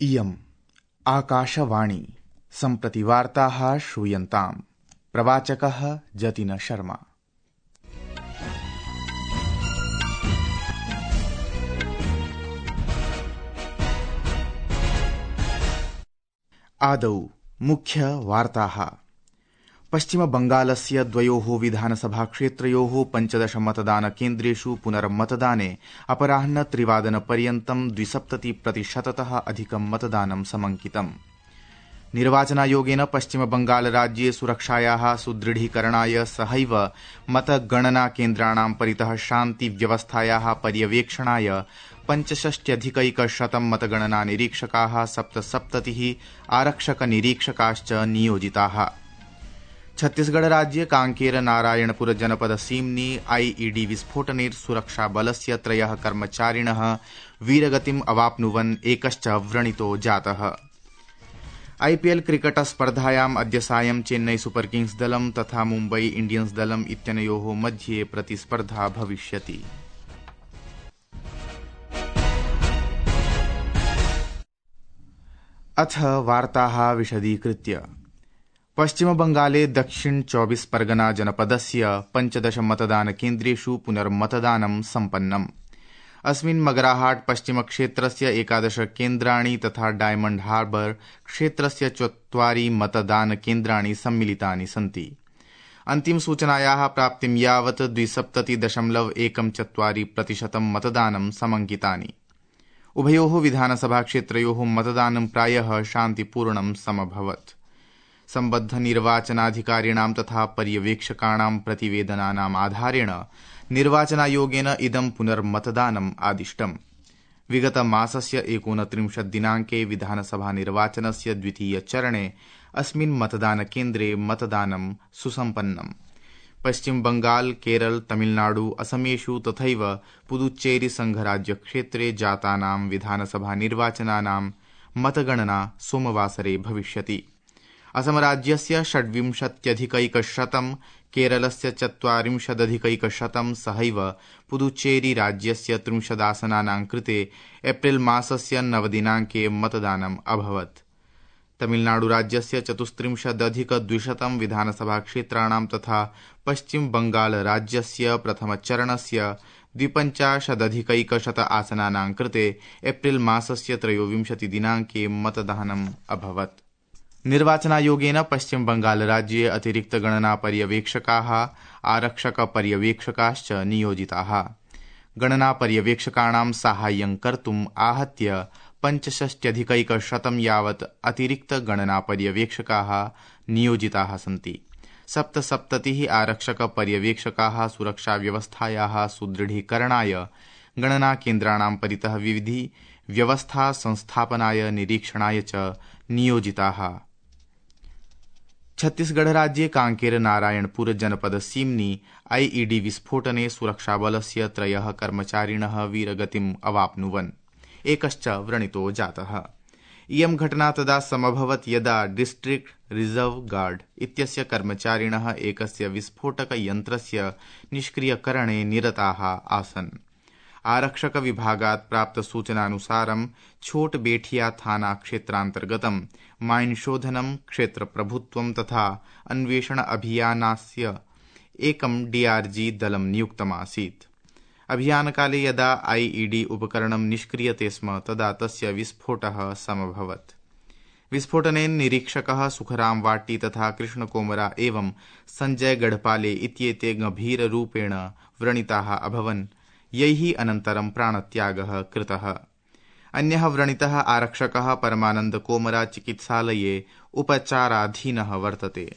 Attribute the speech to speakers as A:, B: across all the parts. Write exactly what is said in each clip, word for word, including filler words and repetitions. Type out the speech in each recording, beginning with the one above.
A: इयम् आकाशवाणी सम्प्रति वार्ताः श्रूयन्ताम्। प्रवाचकः जतिन शर्मा। आदौ मुख्य वार्ताः। पश्चिम बंगालस्य द्वयोः विधानसभा क्षेत्रयोः पञ्चदश मतदान केन्द्रेषु पुनर्मतदाने अपराह्न त्रिवादन पर्यन्तं द्विसप्तति प्रतिशततः अधिकं मतदानं समंकितम्। निर्वाचनायोगेन पश्चिम बंगाल राज्ये सुरक्षायाः सुदृढीकरणाय सहैव मतगणना केन्द्राणां परितः शान्ति व्यवस्थायाः पर्यवेक्षणाय पञ्चषष्ट्यधिकैकशतं मतगणना निरीक्षकाः सप्तसप्ततिः आरक्षक निरीक्षकाश्च नियोजिताः। छत्तीसगढ़ राज्ये कांकेर नारायणपुर जनपद सीम्नि आईईडी विस्फोटने सुरक्षाबलस्य त्रयः कर्मचारिणः वीरगतिम् अवाप्नुवन् एकश्च व्रणितो जातः। आईपीएल क्रिकेट स्पर्धायाम् अद्य सायं चेन्नई सुपर किंग्स दलं तथा मुम्बई इंडियन्स दलम् इत्यनयोः मध्ये प्रतिस्पर्धा भविष्यति। अथ वार्ताः विशदीकृत्य। पश्चिम बंगाले दक्षिण चौबीस परगना जनपदस्य पञ्चदश मतदान केन्द्रेषु पुनर्मतदानं सम्पन्नम्। अस्मिन् मगराहाट पश्चिम क्षेत्रस्य एकादश केन्द्राणि तथा डायमण्ड हार्बर क्षेत्रस्य चत्वारि मतदान केन्द्राणि सम्मिलितानि सन्ति। अन्तिम सूचनायाः प्राप्तिं यावत् द्विसप्तति दशमलव एकं चत्वारि प्रतिशतं मतदानं समंकितानि। उभयोः विधानसभा क्षेत्रयोः मतदानं प्रायः शान्तिपूर्णं समभवत्। सम्बद्ध निर्वाचनाधिकारिणां तथा पर्यवेक्षकाणां प्रतिवेदनानाम् आधारेण निर्वाचनायोगेन इदं पुनर्मतदानम् आदिष्टम्। विगत मासस्य एकोनत्रिंशत् दिनाङ्के विधानसभा निर्वाचनस्य द्वितीय चरणे अस्मिन् मतदान केन्द्रे मतदानं सुसम्पन्नम्। पश्चिम बंगाल, केरल, तमिलनाडु, असमेषु तथैव पुदुच्चेरी संघराज्यक्षेत्रे जातानां विधानसभा निर्वाचनानां मतगणना सोमवासरे भविष्यति। असमराज्यस्य षड्विंशत्यधिकैकशतं, केरलस्य चत्वारिंशदधिकैकशतं सहैव पुदुच्चेरी राज्यस्य त्रिंशदासनानां कृते एप्रिल मासस्य नवदिनाङ्के मतदानम् अभवत्। तमिलनाडु राज्यस्य चतुस्त्रिंशदधिकद्विशतं विधानसभा क्षेत्राणां तथा पश्चिम बंगाल राज्यस्य प्रथमचरणस्य द्विपञ्चाशदधिकैकशत आसनानां कृते एप्रिल मासस्य त्रयोविंशति दिनाङ्के मतदानम् अभवत्। निर्वाचनायोगेन पश्चिम बंगाल राज्ये अतिरिक्त गणना पर्यवेक्षकाः आरक्षक पर्यवेक्षकाश्च नियोजिताः। गणना पर्यवेक्षकाणां साहाय्यं कर्तुम् आहत्य पञ्चषष्ट्यधिकैकशतं यावत् अतिरिक्त गणना पर्यवेक्षकाः नियोजिताः सन्ति। सप्तसप्ततिः आरक्षक पर्यवेक्षकाः सुरक्षा व्यवस्थायाः सुदृढीकरणाय गणना केन्द्राणां परितः विविधि व्यवस्था संस्थापनाय निरीक्षणाय च नियोजिताः। छत्तीसगढ़ राज्ये कांकेर नारायणपुर जनपद सीम्नि आईईडी विस्फोटने सुरक्षाबलस्य त्रयः कर्मचारिणः वीरगतिम् अवाप्नुवन् एकश्च व्रणितो जातः। इयं घटना तदा समभवत् यदा डिस्ट्रिक्ट रिजर्व गार्ड इत्यस्य कर्मचारिणः एकस्य विस्फोटक यन्त्रस्य निष्क्रियकरणे निरताः आसन्। आरक्षक विभागात् प्राप्त सूचनानुसारं छोट बेठिया थाना क्षेत्रान्तर्गतं माइन शोधनं, क्षेत्र प्रभुत्वं तथा अन्वेषण अभियानस्य एकं डीआरजी दलं नियुक्तमासीत्। अभियानकाले यदा आईईडी उपकरणं निष्क्रियते स्म तदा तस्य विस्फोटः समभवत्। विस्फोटने निरीक्षकः सुखराम वाटी तथा कृष्णकोमरा एवं संजय गढ़पाले इत्येते गंभीररूपेण व्रणिताः अभवन्, यैः अनन्तरं प्राणत्यागः कृतः। अन्यः व्रणितः आरक्षकः परमानंद कोमरा चिकित्सालये उपचाराधीनः वर्तते।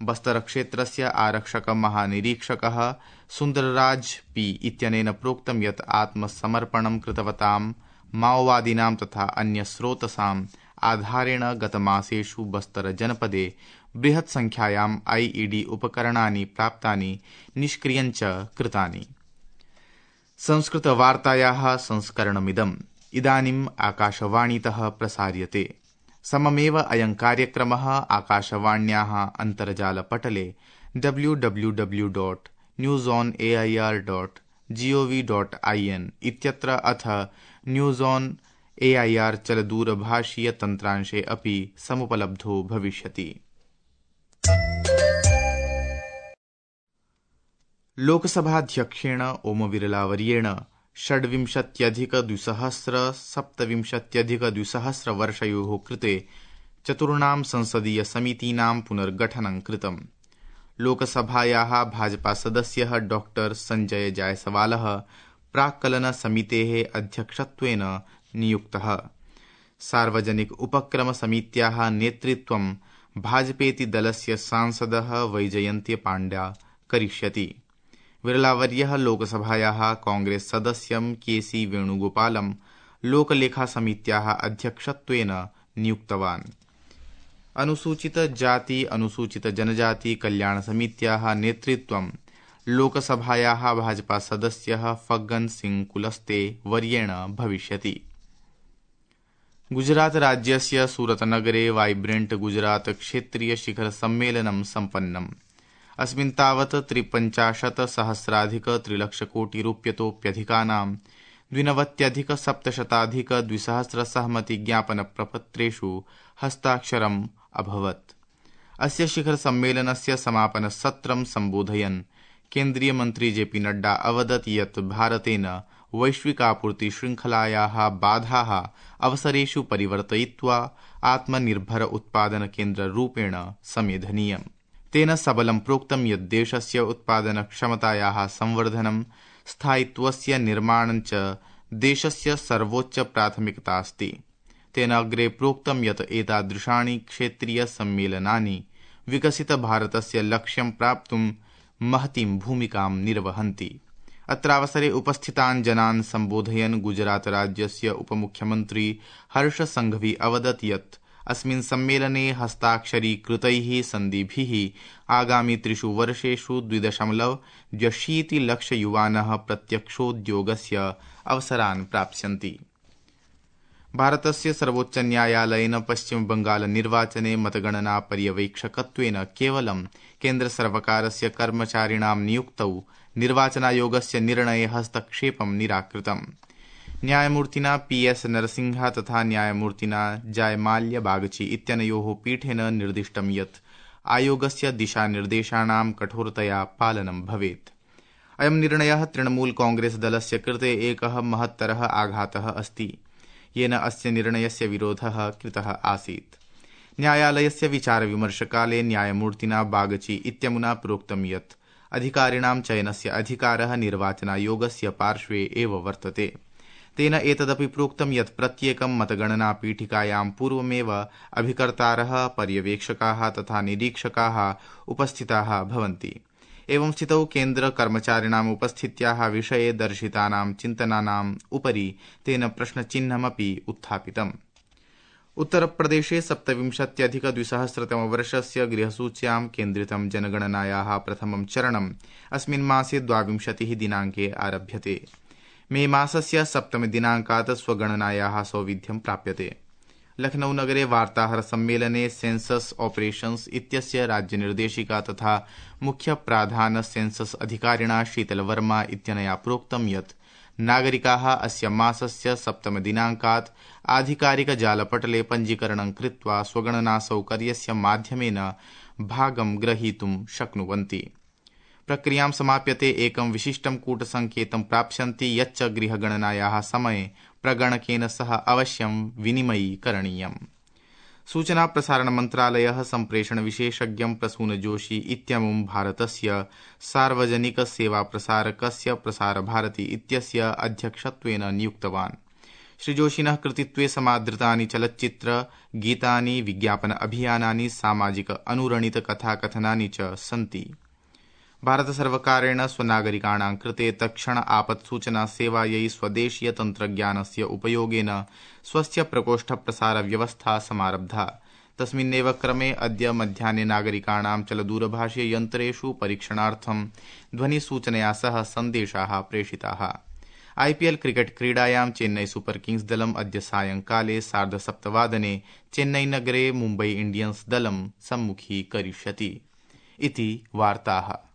A: बस्तर क्षेत्रस्य आरक्षक महानिरीक्षकः सुन्दरराज पी इत्यनेन प्रोक्तं यत् आत्मसमर्पणं कृतवतां माओवादिनां तथा अन्यस्रोतसाम् आधारेण गतमासेषु बस्तर जनपदे बृहत् संख्यायाम् आईईडी उपकरणानि प्राप्तानि, निष्क्रियञ्च कृतानि। संस्कृत वार्तायाः संस्करणमिदम् इदानीम् आकाशवाणीतः प्रसार्यते। सममेव अयं कार्यक्रमः आकाशवाण्याः अन्तर्जालपटले W W W dot news on AIR dot GOV dot IN इत्यत्र अथ news on A I R चलदूरभाषीय तन्त्रांशे अपि समुपलब्धो भविष्यति। लोकसभाध्यक्षेण ओम बिरलावर्येण षड्विंशत्यधिकद्विसहस्र सप्तविंशत्यधिकद्विसहस्रवर्षयोः कृते चतुर्णां संसदीय समितीनां पुनर्गठनं कृतम्। लोकसभायाः भाजपासदस्यः डॉक्टर संजय जायसवालः प्राक्कलनसमितेः अध्यक्षत्वेन नियुक्तः। सार्वजनिक उपक्रम समित्याः नेतृत्वं भाजपेति दलस्य सांसदः वैजयन्ती पाण्ड्या करिष्यति। बिरलावर्यः लोकसभायाः कांग्रेस सदस्यं के सी वेणुगोपालं लोकलेखासमित्याः अध्यक्षत्वेन नियुक्तवान्। अनुसूचित जाति अनुसूचित जनजाति कल्याण समित्याः नेतृत्वं लोकसभायाः भाजपा सदस्यः फग्गन सिंह कुलस्ते वर्येण भविष्यति। गुजरात राज्यस्य सूरतनगरे वाइब्रेंट गुजरात क्षेत्रीय शिखर सम्मेलनं सम्पन्नम्। अस्मिन् तावत् त्रिपञ्चाशत् सहस्राधिक त्रिलक्षकोटि रूप्यतोप्यधिकानां द्विनवत्यधिक सप्तशताधिक द्विसहस्र सहमति ज्ञापन प्रपत्रेषु हस्ताक्षरम् अभवत्। अस्य शिखर सम्मेलनस्य समापन सत्रं सम्बोधयन् केन्द्रीय मन्त्री जेपी नड्डा अवदत् यत् भारतेन वैश्विकापूर्ति श्रृंखलायाः बाधाः अवसरेषु परिवर्तयित्वा आत्मनिर्भर उत्पादन केन्द्ररूपेण समेधनीयम्। तेन सबलं प्रोक्तं यत् देशस्य उत्पादन क्षमतायाः संवर्धनं स्थायित्वस्य निर्माणं च देशस्य सर्वोच्च प्राथमिकता अस्ति। तेन अग्रे प्रोक्तं यत् एतादृशानि क्षेत्रीय सम्मेलनानि विकसित भारतस्य लक्ष्यं प्राप्तुं महतीं भूमिकां निर्वहन्ति। अत्रावसरे उपस्थितान् जनान् सम्बोधयन् गुजरात राज्यस्य उपमुख्यमन्त्री हर्ष संघवी अवदत् यत् अस्मिन् सम्मेलने हस्ताक्षरीकृतैः सन्धिभिः आगामि त्रिषु वर्षेषु द्विदशमलव द्व्यशीति लक्ष युवानः प्रत्यक्षोद्योगस्य अवसरान् प्राप्स्यन्ति। भारतस्य सर्वोच्च न्यायालयेन पश्चिम बंगाल निर्वाचने मतगणना पर्यवेक्षकत्वेन केवलं केन्द्रसर्वकारस्य कर्मचारिणां नियुक्तौ निर्वाचनायोगस्य निर्णये हस्तक्षेपं निराकृतम्। न्यायमूर्तिना पी एस नरसिंह तथा न्यायमूर्तिना जायमाल्य बागची इत्यनयोः पीठेन निर्दिष्टं यत् आयोगस्य दिशानिर्देशानां कठोरतया पालनं भवेत्। अयं निर्णयः तृणमूल कांग्रेस दलस्य कृते एकः महत्तरः आघातः अस्ति, येन अस्य निर्णयस्य विरोधः कृतः आसीत्। न्यायालयस्य विचारविमर्शकाले न्यायमूर्तिना बागची इत्यमुना प्रोक्तं यत् अधिकारिणां चयनस्य अधिकारः निर्वाचनायोगस्य पार्श्वे एव वर्तते। तेन एतदपि प्रोक्तं यत् प्रत्येकं मतगणना पीठिकायां पूर्वमेव अभिकर्तारः, पर्यवेक्षकाः तथा निरीक्षकाः उपस्थिताः भवन्ति। एवं स्थितौ केन्द्र कर्मचारिणाम् उपस्थित्याः विषये दर्शितानां चिन्तनानाम् उपरि तेन प्रश्नचिह्नमपि उत्थापितम्। उत्तरप्रदेशे सप्तविंशत्यधिक द्विसहस्रतमवर्षस्य गृहसूच्यां केन्द्रितं जनगणनायाः प्रथमं चरणम् अस्मिन् मासे द्वाविंशतिः दिनाङ्के आरभ्यते। मे मासस्य सप्तमे दिनाङ्कात् स्वगणनायाः सौविध्यं प्राप्यते। लखनऊ नगरे वार्ताहर सम्मेलने सेंसस ऑपरेशन्स इत्यस्य राज्यनिर्देशिका तथा मुख्य प्राधान सेंसस अधिकारिणा शीतलवर्मा इत्यनया प्रोक्तं यत् नागरिकाः अस्य मासस्य सप्तम दिनाङ्कात् आधिकारिक जालपटले पञ्जीकरणं कृत्वा स्वगणना सौकर्यस्य माध्यमेन भागं ग्रहीतुं शक्नुवन्ति। प्रक्रियां समाप्यते एकं विशिष्टं कूटसङ्केतं प्राप्स्यन्ति यच्च गृहगणनायाः समये प्रगणकेन सह अवश्यं विनिमयीकरणीयम्। सूचना प्रसारण मन्त्रालयः सम्प्रेषण विशेषज्ञं प्रसून जोशी इत्यमुं भारतस्य सार्वजनिक सेवा प्रसारकस्य प्रसारभारती इत्यस्य अध्यक्षत्वेन नियुक्तवान्। श्रीजोशिनः कृतित्वे समादृतानि चलच्चित्र गीतानि, विज्ञापन अभियानानि, सामाजिक अनुरणित कथाकथनानि च सन्ति। भारतसर्वकारेण स्वनागरिकाणां कृते तत्क्षण आपत्सूचना सेवायै स्वदेशीय तन्त्रज्ञानस्य उपयोगेन स्वस्य प्रकोष्ठप्रसार व्यवस्था समारब्धा। तस्मिन्नेव क्रमे अद्य मध्याह्ने नागरिकाणां चलदूरभाषीय यन्त्रेषु परीक्षणार्थं ध्वनिसूचनया सह सन्देशाः प्रेषिताः। आईपीएल क्रिकेट क्रीडायां चेन्नई सुपर किंग्स दलम् अद्य सायंकाले सार्धसप्तवादने चेन्नईनगरे मुम्बई इंडियन्स दलं सम्मुखीकरिष्यति। इति वार्ताः।